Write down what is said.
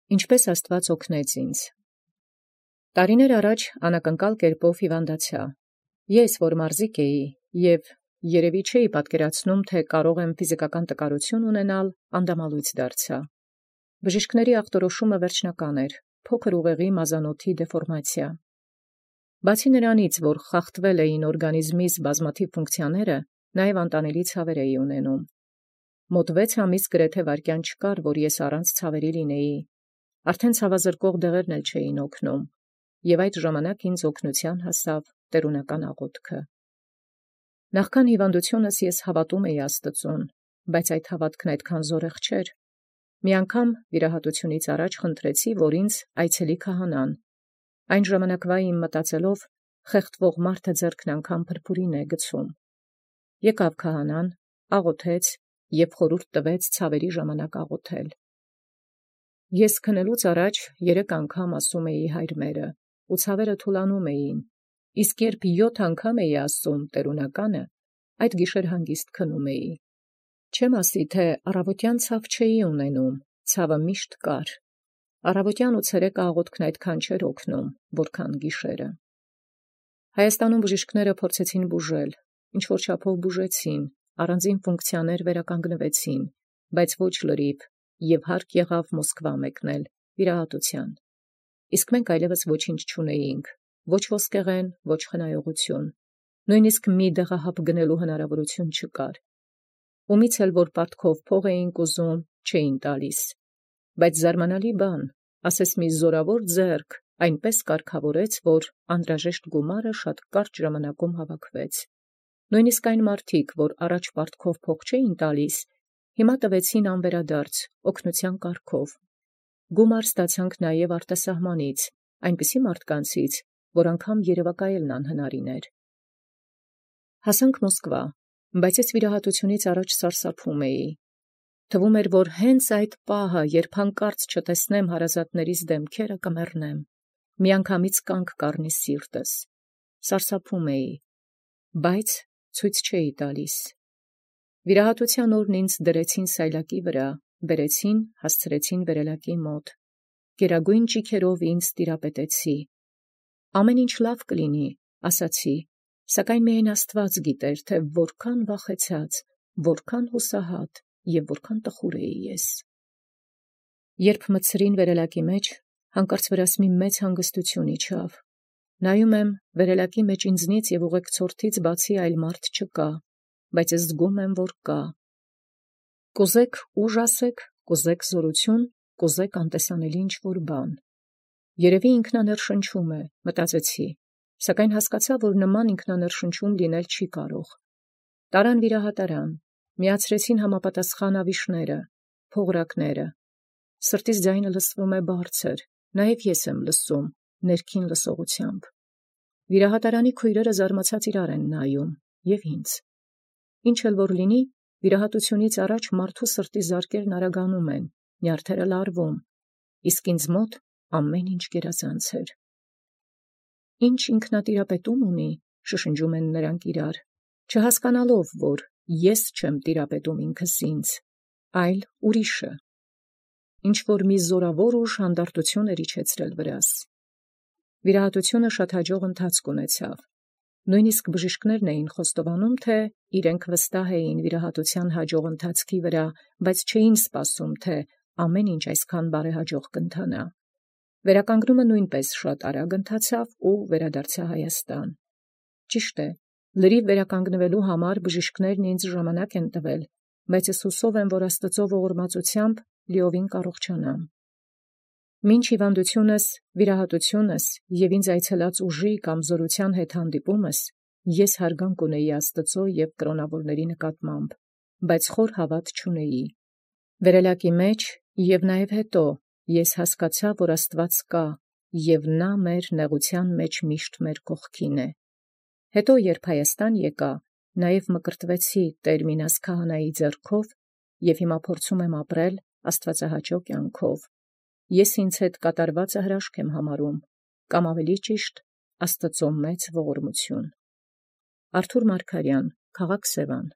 Ինչպէս Աստուած օգնեց ինձ։ Տարիներ առաջ անակնկալ կերպով հիվանդացա։ Ես, որ մարզիկ էի, և երևի չէի պատկերացնում, թե կարող եմ ֆիզիկական տկարություն ունենալ, անդամալույծ դարձա։ Բժիշկների ախտորոշումը վերջնական էր, փոքր ուղեղի մազանոթի դեֆորմացիա։ Բացի նրանից, որ խախտվել էին օրգանիզմիս բազմաթիվ ֆունկցիաները, նաև անտանելի ցավեր էի ունենում։ Մոտ 6 ամիս գրեթե վայրկյան չկար, որ ես առանց ցավերի լինեի։ Արդեն ցավազրկող դեղերն էլ չէին օգնում, և այդ ժամանակ ինձ օգնության հասավ տերունական աղոթքը։ Նախքան հիվանդությունս ես հավատում էի Աստծուն, բայց այդ հավատքն այդքան զորեղ չէր։ Մի անգամ վիրահատությունից առաջ խնդրեցի, որ ինձ այցելի քահանան։ Այն ժամանակվա իմ մտածելով խեղդվող մարդը ձեռքն անգամ փրփուրին է գցում։ Եկավ քահանան, աղոթեց և խորհուրդ տվեց ցավերի ժամանակ աղոթել։ Ես քնելուց առաջ 3 անգամ ասում էի Հայր մերը, ու ցավերը թուլանում էին, իսկ երբ 7 անգամ էի ասում տերունականը, այդ գիշեր հանգիստ քնում էի։ Չեմ ասի, թե առավոտյան ցավ չէի ունենում, ցավը միշտ կար։ Առավոտյան ու ցերեկը աղոթքն այդքան չէր օգնում, որքան գիշերը։ Հայաստանում բժիշկները փորձեցին բուժել, ինչ-որ չափով բուժեցին, առանձին ֆունկցիաներ վերականգնվեցին, բայց ոչ լրիվ, և հարկ եղավ Մոսկվա մեկնել վիրահատության։ Իսկ մենք այլևս ոչինչ չունեինք, ոչ ոսկեղեն, ոչ խնայողություն, նույնիսկ մի դեղահապ գնելու հնարավորություն չկար։ Ումից էլ որ պարտքով փող էինք ուզում, չէին տալիս։ Բայց զարմանալի բան, ասես մի զորավոր ձեռք այնպես կարգավորեց, որ անհրաժեշտ գումարը շատ կարճ ժամանակում հավաքվեց։ Նույնիսկ այն մարդիկ, որ առաջ պարտքով փող չէին տալիս, հիմա տվեցին անվերադարձ, օգնության կարգով։ Գումար ստացանք նաև արտասահմանից, այնպիսի մարդկանցից, որ անգամ երևակայելն անհնարին էր։ Հասանք Մոսկվա, բայց ես վիրահատությունից առաջ սարսափում էի։ Թվում էր, որ հենց այդ պահը, երբ հանկարծ չտեսնեմ հարազատներիս դեմքերը, կմեռնեմ, միանգամից կանգ կառնի սիրտս։ Սարսափում էի, բայց ցույց չէի տալիս։ Վիրահատության օրն ինձ դրեցին սայլակի վրա, բերեցին, հասցրեցին վերելակի մոտ։ Գերագույն ճիգերով ինձ տիրապետեցի։ Ամեն ինչ լավ կլինի, ասացի, սակայն միայն Աստված գիտեր, թե որքան վախեցած, որքան հուսահատ և որքան տխուր էի ես։ Երբ մտցրին վերելակի մեջ, հանկարծ վրաս մի մեծ հանգստություն իջավ։ Նայում եմ, վերելակի մեջ ինձնից և ուղեկցորդից բացի այլ մարդ չկա, բայց զգում եմ, որ կա։ Կուզեք ուժ ասեք, կուզեք զորություն, կուզեք անտեսանելի ինչ-որ բան։ Երևի ինքնաներշնչում է, մտածեցի, սակայն հասկացա, որ նման ինքնաներշնչում լինել չի կարող։ Տարան վիրահատարան, միացրեցին համապատասխան ավիշները, փողրակները։ Սրտիս ձայնը լսվում է բարձր, նաև ես եմ լսում, ներքին լսողությամբ։ Վիրահատարանի քույրերը զարմացած իրար են նայում, և ինձ։ Ինչ էլ որ լինի, վիրահատությունից առաջ մարդու սրտի զարկերն արագանում են, նյարդերը լարվում, իսկ ինձ մոտ ամեն ինչ գերազանց էր։ Ինչ ինքնատիրապետում ունի, շշնջում են նրանք իրար, չհասկանալով, որ ես չեմ տիրապետում ինքս ինձ, այլ ուրիշը։ Ինչ-որ մի զորավոր ուժ հանդարտություն էր իջեցրել վրաս։ Վիրահատությունը շատ հաջող ընթացք ունեցավ։ Նույնիսկ բժիշկներն էին խոստովանում, թե իրենք վստահ էին վիրահատության հաջող ընթացքի վրա, բայց չէին սպասում, թե ամեն ինչ այսքան բարեհաջող կընթանա։ Վերականգնումը նույնպես շատ արագ ընթացավ ու վերադարձա Հայաստան։ Ճիշտ է, լրիվ վերականգնվելու համար բժիշկներն ինձ ժամանակ են տվել, բայց ես հուսով եմ, որ Աստծո ողորմածությամբ լիովին կառողջանամ։ Մինչ հիվանդությունս, վիրահատությունս և ինձ այցելած ուժի կամ զորության հետ հանդիպումս, ես հարգանք ունեի Աստծո և կրոնավորների նկատմամբ, բայց խոր հավատ չունեի։ Վերելակի մեջ և նաև հետո ես հասկացա, որ Աստված կա, և նա մեր նեղության մեջ միշտ մեր կողքին է։ Հետո, երբ Հայաստան եկա, նաև մկրտվեցի Տեր Մինաս քահանայի ձեռքով և հիմա փորձում եմ ապրել աստվածահաճո կյանքով։ Ես ինձ հետ կատարվածը հրաշք եմ համարում, կամ ավելի ճիշտ, Աստծո մեծ ողորմություն։ Արթուր Մարգարյան, քաղաք Սևան։